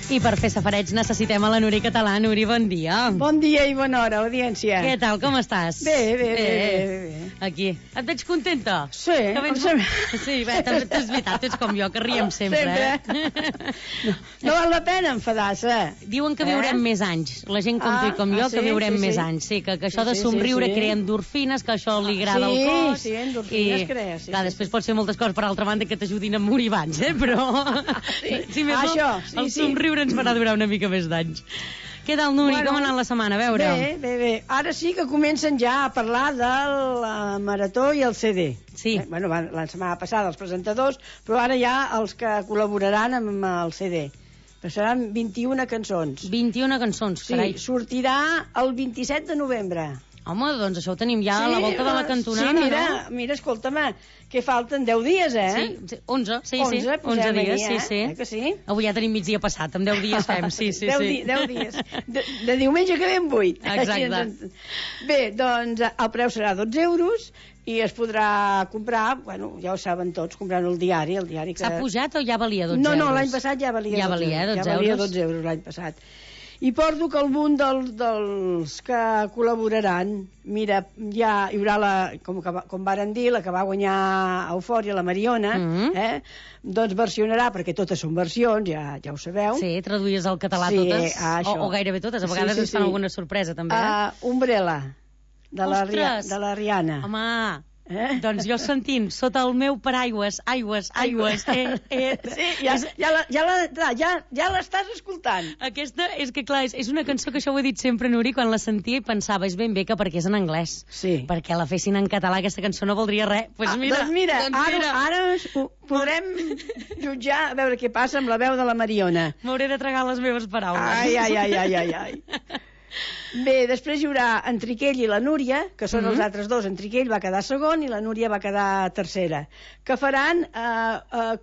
I per fer safareig necessitem a la Núria Català. Núria, bon dia. Bon dia i bona hora, audiència. Què tal, com estàs? Bé. Aquí. Et veig contenta? Sí. Sí, bé, tu és veritat, ets com jo, que riem sempre. No val la pena enfadar-se. Diuen que viurem més anys. La gent com tu i com jo, que viurem més anys. Sí, que això de somriure crea endorfines, que això li agrada al cos. Sí, endorfines crea. Clar, després pots fer moltes coses, per altra banda, que t'ajudin a morir abans, però... Si més no, el somriure ens farà durar una mica més d'anys. Què tal, Núria? Com ha anat la setmana? A veure. Bé. Ara sí que comencen ja a parlar de la Marató i el CD. Sí. Bueno, la setmana passada els presentadors, però ara ja els que col·laboraran amb el CD. Però seran 21 cançons. 21 cançons, carai. Sí, sortirà el 27 de novembre. Home, doncs això ho tenim ja a la volta de la cantonada, no? Mira, escolta'm, que falten 10 dies, Sí, 11, sí. 11 dies, sí. Que sí? Avui ja tenim migdia passat, amb 10 dies fem, sí. 10 dies. De diumenge que ve en 8. Exacte. Bé, doncs el preu serà 12 euros i es podrà comprar, bueno, ja ho saben tots, comprant el diari que... S'ha pujat o ja valia 12 euros? No, l'any passat ja valia 12 euros. Ja valia 12 euros l'any passat. I porto que algun dels que col·laboraran, mira, ja hi haurà com varen dir, la que va guanyar Eufòria, la Mariona, doncs versionarà, perquè totes són versions, ja ho sabeu. Sí, traduïes al català totes, o gairebé totes, a vegades ens fan alguna sorpresa també. Umbrella, de la Rihanna. Home... Doncs jo sentint, sota el meu paraigües, aigües. Sí, ja l'estàs escoltant. Aquesta és que, clar, és una cançó que això ho he dit sempre, Núria, quan la sentia i pensava, és ben bé que perquè és en anglès. Sí. Perquè la fessin en català, aquesta cançó no voldria res. Doncs mira, ara podrem jutjar, a veure què passa amb la veu de la Mariona. M'hauré de tragar les meves paraules. Ai. Bé, després hi haurà en Triquell i la Núria, que són els altres dos. En Triquell va quedar segon i la Núria va quedar tercera, que faran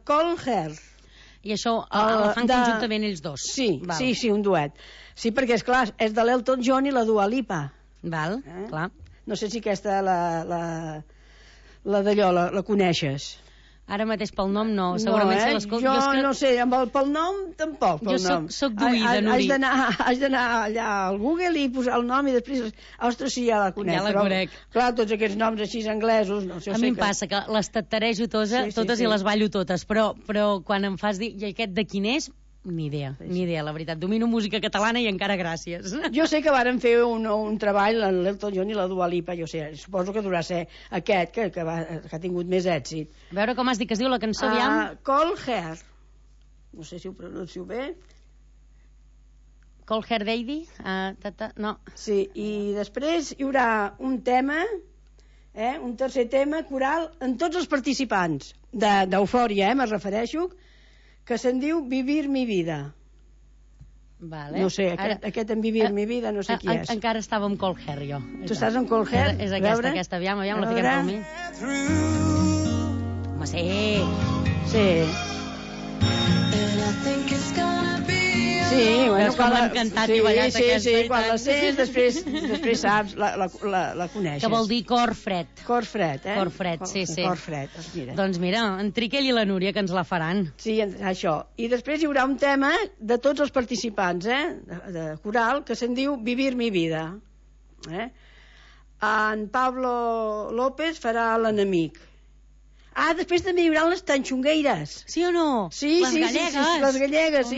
Cold Heart. I això el fan conjuntament ells dos? Sí, un duet. Sí, perquè, esclar, és de l'Elton John i la Dua Lipa. Val, clar. No sé si aquesta, la d'allò, la coneixes. Ara mateix pel nom no, segurament se l'escolta. Jo no sé, pel nom tampoc. Jo soc d'oïda, Núria. Haig d'anar allà al Google i posar el nom i després, ostres, sí, ja la conec. Ja la conec. Clar, tots aquests noms així anglesos, no sé. A mi em passa que les tatarejo totes i les ballo totes, però quan em fas dir, i aquest de quin és? Ni idea, la veritat. Domino música catalana i encara gràcies. Jo sé que varen fer un treball, l'Elton John i la Dua Lipa, suposo que durà ser aquest, que ha tingut més èxit. A veure com has dit que es diu la cançó, aviam. Cold Heart. No sé si ho pronuncio bé. Cold Heart Baby? No. Sí, i després hi haurà un tema, un tercer tema coral en tots els participants d'Eufòria, me refereixo, que se'n diu Vivir mi vida. Vale. No sé, aquest en Vivir mi vida no sé qui és. Encara estava amb Cold Hair, jo. Tu estàs amb Cold Hair? És aquesta, aviam, la fiquem per mi. Home, sí. Sí, bueno, quan l'han cantat i ballat aquesta. Sí, quan la sents, després saps, la coneixes. Que vol dir cor fred. Cor fred, Cor fred, sí. Cor fred, mira. Doncs mira, en Triquell i la Núria, que ens la faran. Sí, això. I després hi haurà un tema de tots els participants, de coral, que se'n diu Vivir mi vida. En Pablo López farà l'enemic. Després també hi haurà les tanxongueires. Sí o no? Sí, les gallegues. Les gallegues,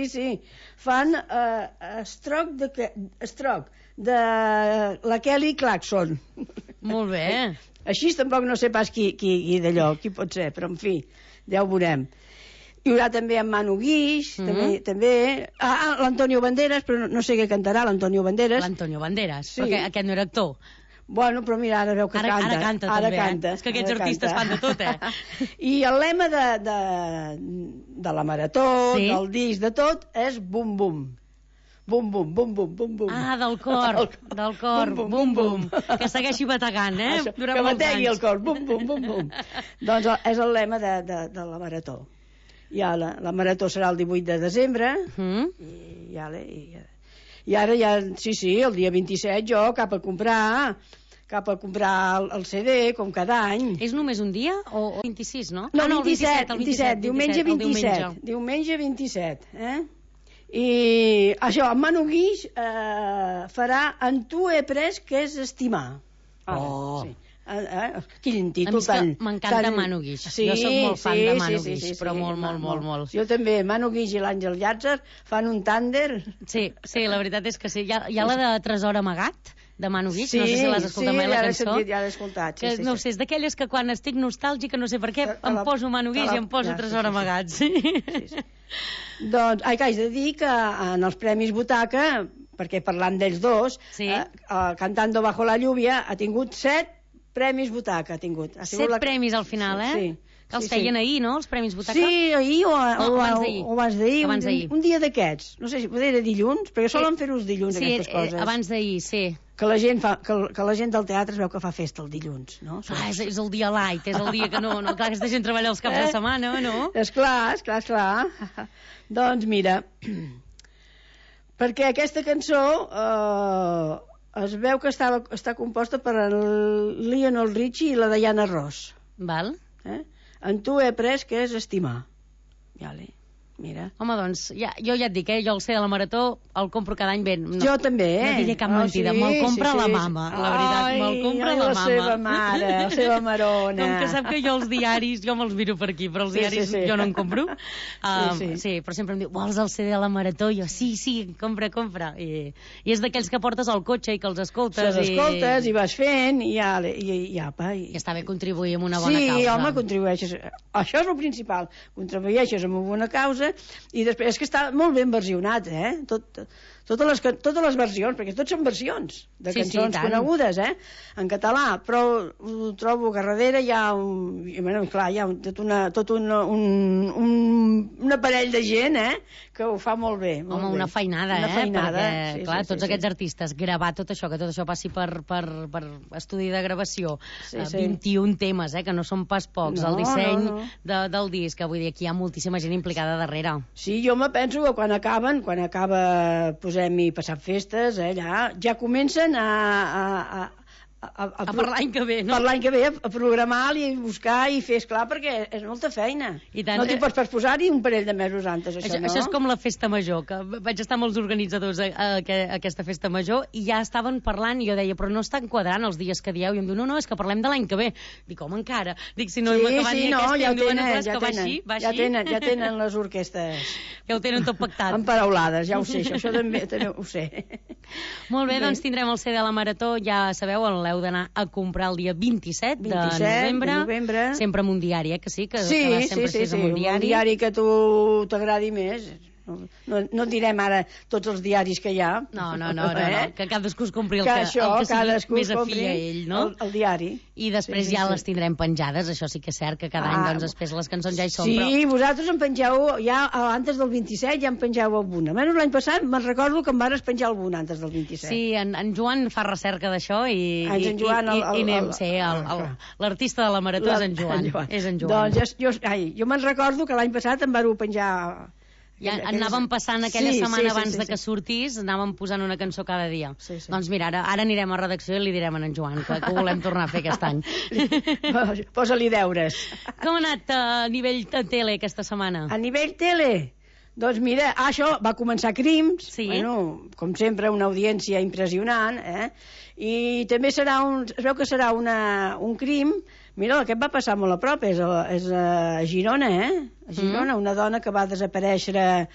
sí. Fan Stroc de la Kelly Clarkson. Molt bé. Així tampoc no sé pas qui d'allò, qui pot ser, però en fi, ja ho veurem. Hi haurà també en Manu Guix, també. L'Antonio Banderas, però no sé què cantarà l'Antonio Banderas. L'Antonio Banderas, perquè aquest no era actor. Bueno, però mira, ara veu que canta. Ara canta, també. És que aquests artistes fan de tot, I el lema de la marató, del disc, de tot, és bum, bum. Bum, bum, bum, bum, bum, bum. Del cor, bum, bum. Que segueixi bategant, durant que bategui el cor, bum, bum, bum, bum. Doncs és el lema de la marató. Ja la marató serà el 18 de desembre, i ara ja, sí, el dia 27 jo cap a comprar el CD, com cada any. És només un dia o 26, no? No, el 27, diumenge 27. Diumenge 27, I això, en Manu Guix farà En tu he pres que és estimar. Sí. Quin títol tan... M'encanta Manu Guix. Jo soc molt fan de Manu Guix, però molt. Jo també, Manu Guix i l'Àngel Llàtzer fan un tànder. Sí, la veritat és que sí. Hi ha la de Tresor amagat, de Manu Guix, no sé si l'has escoltat mai, la cançó. Sí, ja l'he escoltat. No sé, és d'aquelles que quan estic nostàlgica, no sé per què, em poso Manu Guix i em poso Tresor amagat. Doncs, que haig de dir que en els Premis Butaca, perquè parlant d'ells dos, Cantando bajo la lluvia ha tingut 7 Premis Butaca, ha tingut. 7 premis al final, Sí. Que els feien ahir, no, els Premis Butaca? Sí, ahir o abans d'ahir. Un dia d'aquests. No sé si poder era dilluns, perquè solen fer-ho els dilluns, aquestes coses. Sí, abans d'ahir, sí. Que la gent del teatre es veu que fa festa el dilluns, no? És el dia light, és el dia que no... Clar, aquesta gent treballa els caps de setmana, no? Esclar. Doncs mira, perquè aquesta cançó es veu que està composta per el Lionel Richie i la Diana Ross. Val. En tu he pres que és estimar. Mira. Home, doncs, jo ja et dic, jo el C de la Marató el compro cada any ben. Jo també, No diré cap mentida, me'l compra la mama, la veritat, me'l compra la mama. La seva mare, la seva marona. Com que sap que jo els diaris, jo me'ls miro per aquí, però els diaris jo no en compro. Sí, però sempre em diu, vols el CD de la Marató? I jo, sí, compra. I és d'aquells que portes al cotxe i que els escoltes. Els escoltes i vas fent i apa. I està bé contribuir amb una bona causa. Sí, home, contribueixes. Això és el principal. Contribueixes amb una bona causa i després és que està molt ben versionat, totes les versions, perquè tots són versions de cançons conegudes, en català, però ho trobo que a darrere hi ha tot un aparell de gent, que ho fa molt bé. Home, una feinada, perquè, clar, tots aquests artistes, gravar tot això, que tot això passi per estudi de gravació, 21 temes, que no són pas pocs, el disseny del disc, que vull dir, aquí hi ha moltíssima gent implicada darrere. Sí, jo me penso que quan acaba posem-hi passar festes, ja comencen a per l'any que ve, no? Per l'any que ve, a programar i buscar i fer, esclar, perquè és molta feina. No t'hi pots posar-hi un parell de mesos antes, això, no? Això és com la festa major, que vaig estar amb els organitzadors a aquesta festa major i ja estaven parlant i jo deia, però no estan quadrant els dies que dieu, i em diu, no, és que parlem de l'any que ve. Dic, home, encara. Dic, si no hem acabat ni aquest, va així. Ja tenen les orquestes. Ja ho tenen tot pactat. Emparaulades, ja ho sé, això també ho sé. Molt bé, doncs tindrem el CD de la Marató, ja sabeu, l'heu d'anar a comprar el dia 27 de novembre. Sempre amb un diari, que sí? Que sempre és amb un diari. Un diari que a tu t'agradi més. No direm ara tots els diaris que hi ha. No, que cadascú es compri el que sigui més afí a ell, no? El diari. I després ja les tindrem penjades, això sí que és cert, que cada any després les cançons ja hi són. Sí, vosaltres en pengeu, ja antes del 27 ja en pengeu alguna. Almenys l'any passat me'n recordo que em vares penjar alguna antes del 27. Sí, en Joan fa recerca d'això i anem, sí, l'artista de la Marató és en Joan. Doncs jo me'n recordo que l'any passat em varo penjar... Ja anàvem passant aquella setmana abans de que sortís, anàvem posant una cançó cada dia. Doncs mira, ara anirem a redacció i li direm a en Joan que ho volem tornar a fer aquest any. Posa-li deures. Com ha anat a nivell de tele aquesta setmana? A nivell tele? Doncs mira, això va començar Crims, com sempre una audiència impressionant, i també es veu que serà un crim. Mira, aquest va passar molt a prop, és a Girona, a Girona, una dona que va desaparèixer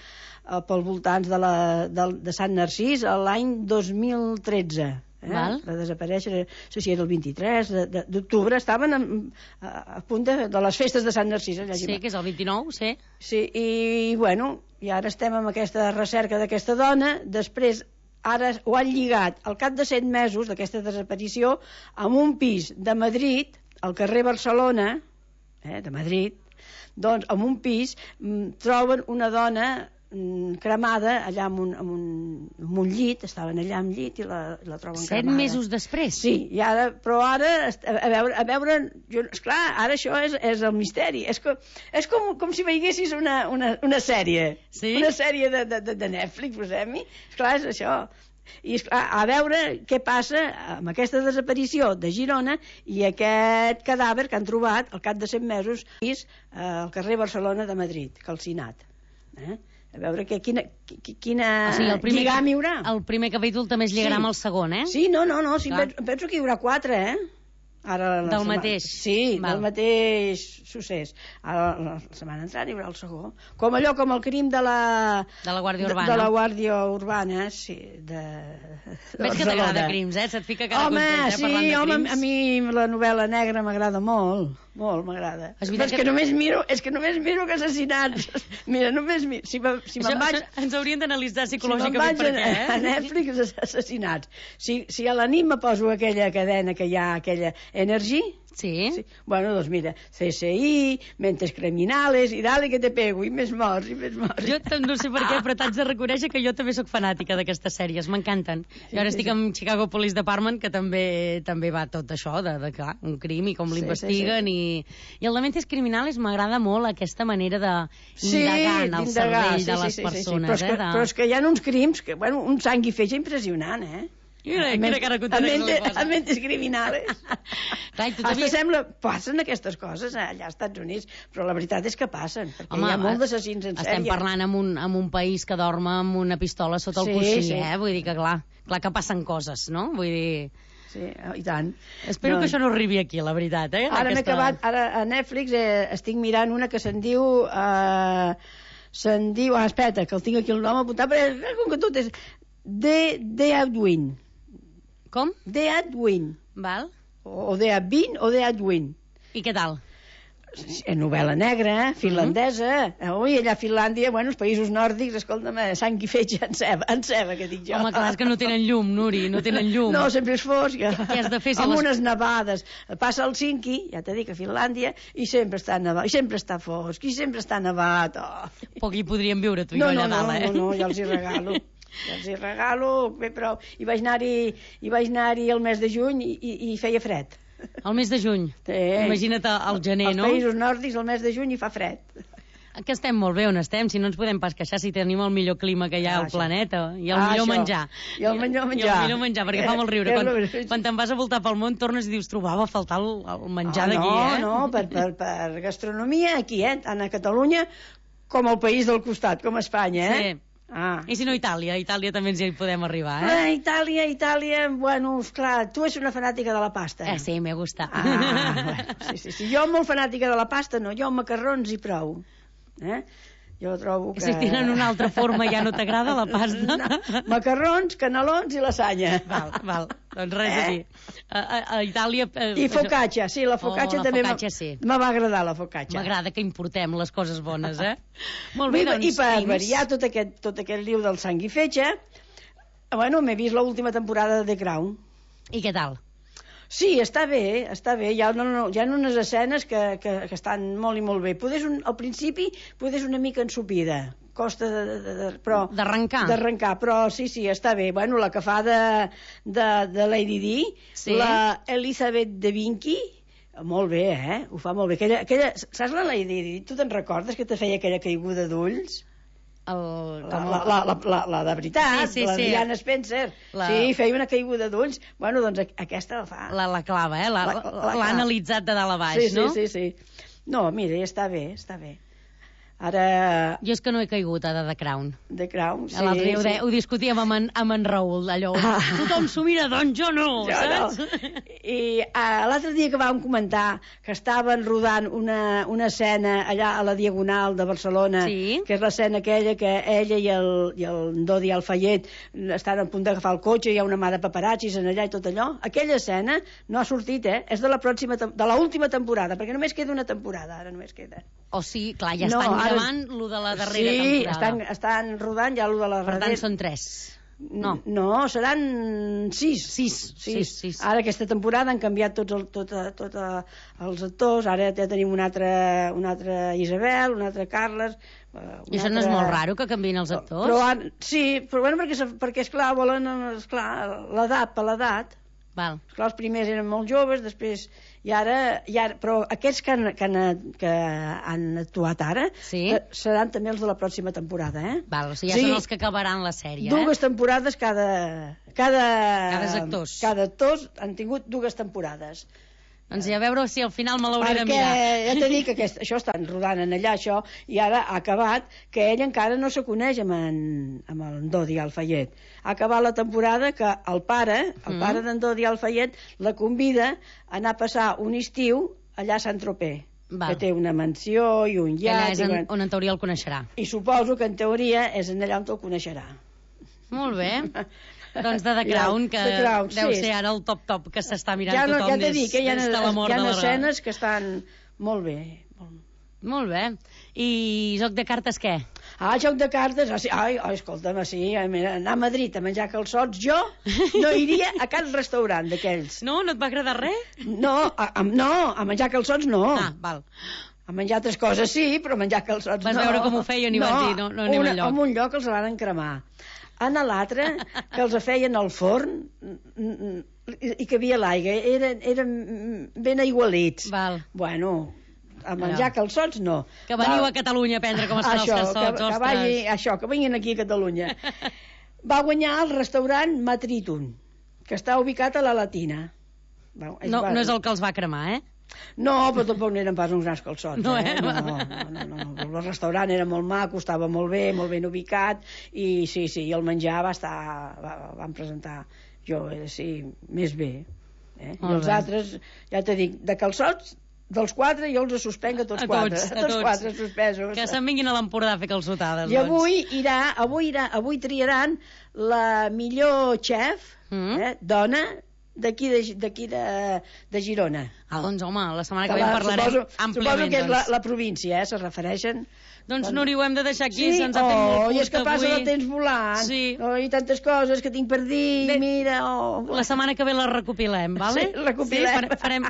pel voltants de Sant Narcís l'any 2013. Va desaparèixer, no sé si era el 23 d'octubre, estaven a punt de les festes de Sant Narcís. Sí, que és el 29, sí. Sí, i ara estem amb aquesta recerca d'aquesta dona, després ara ho han lligat al cap de 7 mesos d'aquesta desaparició amb un pis de Madrid, al carrer Barcelona, de Madrid, doncs en un pis troben una dona cremada allà amb un llit, estaven allà amb llit i la troben cremada. 7 mesos després? Sí, però ara, a veure, esclar, ara això és el misteri. És com si veiessis una sèrie. Sí? Una sèrie de Netflix, posem-hi. Esclar, és això. I a veure què passa amb aquesta desaparició de Girona i aquest cadàver que han trobat al cap de 7 mesos al carrer Barcelona de Madrid, calcinat. A veure quina o sigui, lligam hi haurà. El primer capítol també es lligarà amb el segon, eh? Sí, no, sí, penso que hi haurà 4, eh? Ara, del mateix? Sí, del mateix succés. Ara, la setmana entrant hi haurà el segon. Com el crim de la Guàrdia Urbana. De la Guàrdia Urbana, sí, de Veig que t'agrada crims, eh? Se't fica cada contenta, sí, parlant de crims. A mi la novel·la negra m'agrada molt, m'agrada. És que només miro que assassinats. Mira, només miro. Si me'n vaig... Ens haurien d'analitzar psicològicament per què, eh? A Netflix, assassinats. Si a la nit me poso aquella cadena que hi ha, aquella Energy... Sí. Bueno, doncs mira, CSI, Mentes Criminales, i dale que te pego, i més morts, i més morts. Jo no sé per què, però t'haig de reconèixer que jo també sóc fanàtica d'aquestes sèries, m'encanten. I ara estic amb Chicago Police Department, que també va tot això, clar, un crim i com l'investiguen, i el de Mentes Criminales m'agrada molt aquesta manera d'indagar en el cervell de les persones. Però és que hi ha uns crims, un sang i fetge impressionant, eh? A Mentes Criminales. Hasta sembla... Passen aquestes coses allà als Estats Units, però la veritat és que passen, perquè hi ha molts d'assassins en sèrie. Estem parlant amb un país que dorm amb una pistola sota el coixí, eh? Vull dir que clar que passen coses, no? Vull dir... Sí, i tant. Espero que això no arribi aquí, la veritat, eh? Ara m'he acabat, ara a Netflix estic mirant una que se'n diu... espera, que el tinc aquí el nom apuntat, però com que tot és... The Adwin. Com? The Adwin. Val. O The Adwin o The Adwin. I què tal? Novel·la negra, finlandesa. Ui, allà a Finlàndia, els països nòrdics, escolta'm, sang i fetge en ceba, que dic jo. Home, clar, és que no tenen llum, Nuri, no tenen llum. No, sempre és fosc. Què has de fer? Amb unes nevades. Passa el Helsinki, ja t'he dit, a Finlàndia, i sempre està nevat, i sempre està fosc, i sempre està nevat. Poc hi podríem viure, tu i jo, allà dalt, eh? No, jo els hi regalo. Bé, però hi vaig anar-hi el mes de juny i feia fred. El mes de juny? Sí. Imagina't al gener, no? Als països nòrdics el mes de juny hi fa fred. Que estem molt bé on estem, si no ens podem pas queixar si tenim el millor clima que hi ha al planeta i el millor menjar. I el millor menjar. Perquè fa molt riure. Quan te'n vas a voltar pel món tornes i dius, trobava a faltar el menjar d'aquí, eh? No, per gastronomia aquí, tant a Catalunya com al país del costat, com a Espanya, eh? Sí. I si no Itàlia? Itàlia també ens hi podem arribar, eh? Itàlia, bueno, esclar, tu ets una fanàtica de la pasta. Sí, me gusta. Sí. Jo molt fanàtica de la pasta, no, jo macarrons i prou. Jo trobo que... Si tenen una altra forma ja no t'agrada la pasta? No. Macarrons, canelons i lasanya. Val. Doncs res a dir. A Itàlia... I focaccia, sí, la focaccia també me va agradar, la focaccia. M'agrada que importem les coses bones, eh? Molt bé, doncs... I per variar tot aquest liu del sang i fetge, m'he vist l'última temporada de The Crown. I què tal? Sí, està bé. Hi ha unes escenes que estan molt i molt bé. Al principi, poder una mica ensopida. Costa d'arrencar, però sí, està bé. La que fa de Lady Di, la Elizabeth de Vinci, molt bé, eh? Ho fa molt bé. Saps la Lady Di? Tu te'n recordes que te feia aquella caiguda d'ulls? La de veritat, la Diana Spencer. Sí, feia una caiguda d'ulls. Doncs aquesta la fa. La clava, eh? L'ha analitzat de dalt a baix, no? Sí. No, mira, està bé. Ara... Jo és que no he caigut a The Crown. The Crown, sí. L'altre dia ho discutíem amb en Raül, allò. Tothom s'ho mira, doncs jo no, saps? I l'altre dia que vam comentar que estaven rodant una escena allà a la Diagonal de Barcelona, que és l'escena aquella que ella i el Dodi Alfayet estan a punt d'agafar el cotxe, hi ha una mà de paparazzis en allà i tot allò. Aquella escena no ha sortit, és de l'última temporada, perquè només queda una temporada, ara només queda. O sigui, clar, ja estan gravant lo de la darrera temporada. Sí, estan rodant ja lo de la darrera. Per tant, són 3. No, seran 6. 6. Ara aquesta temporada han canviat tots els actors, ara ja tenim una altra Isabel, una altra Carles... I això no és molt raro, que canviïn els actors? Però perquè esclar, volen l'edat per l'edat. Esclar, els primers eren molt joves, després... Però aquests que han actuat ara seran també els de la pròxima temporada, eh? O sigui, ja són els que acabaran la sèrie, 2 temporades cada actors. Cada actors han tingut 2 temporades. Doncs a veure si al final me l'hauré de mirar. Perquè ja t'he dit que això estan rodant en allà, això, i ara ha acabat que ell encara no se coneix amb en Dodi Al-Fayed. Ha acabat la temporada que el pare d'en Dodi Al-Fayed la convida a anar a passar un estiu allà a Sant-Tropez. Que té una mansió i un iat. Allà és on en teoria el coneixerà. I suposo que en teoria és allà on el coneixerà. Molt bé. Doncs de The Crown, que deu ser ara el top que s'està mirant tothom ja t'he dit que hi ha de escenes que estan molt bé. Molt bé. I joc de cartes què? Joc de cartes, escolta'm, sí, anar a Madrid a menjar calçots, jo no iria a cap restaurant d'aquells. No? No et va agradar res? No, a menjar calçots no. Val. A menjar altres coses sí, però a menjar calçots no. Vas veure com ho feien i vas dir, no anem enlloc. En un lloc els van cremar. En l'altre, que els feien al forn i que havia l'aigua, eren ben aigualits. Val. Bueno, a menjar calçots no. Que veniu a Catalunya a aprendre com es fan els calçots, ostres. Que vinguin aquí a Catalunya. Va guanyar el restaurant Matritun, que està ubicat a la Latina. No és el que els va cremar, eh? No, però tampoc n'eren pas uns grans calçots. No, No. El restaurant era molt maco, estava molt ben ubicat, i sí, el menjar van presentar més bé. I els altres, ja t'he dit, de calçots, dels 4 jo els suspenc a tots 4. A tots 4 suspesos. Que se'n vinguin a l'Empordà a fer calçotades. I avui triaran la millor xef, dona, d'aquí de Girona. Doncs home, la setmana que ve en parlarem àmpliament. Suposo que és la província, se refereixen. Doncs Núria, ho hem de deixar aquí, se'ns ha fet molt curt avui. I és que passa el temps volant, i tantes coses que tinc per dir, mira... La setmana que ve la recopilem, vale? Sí, recopilem.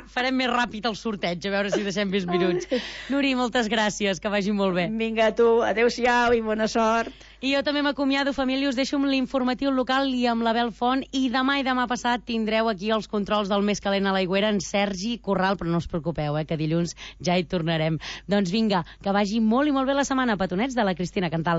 Farem més ràpid el sorteig, a veure si deixem més minuts. Núria, moltes gràcies, que vagi molt bé. Vinga, tu, adéu-siau i bona sort. I jo també m'acomiado, família, us deixo amb l'informatiu local i amb l'Abel Font, i demà passat tindreu aquí els controls del Més Calent a l'Aigüera en Sergi Corral, però no us preocupeu, que dilluns ja hi tornarem. Doncs vinga, que vagi molt i molt bé la setmana, petonets de la Cristina Cantal.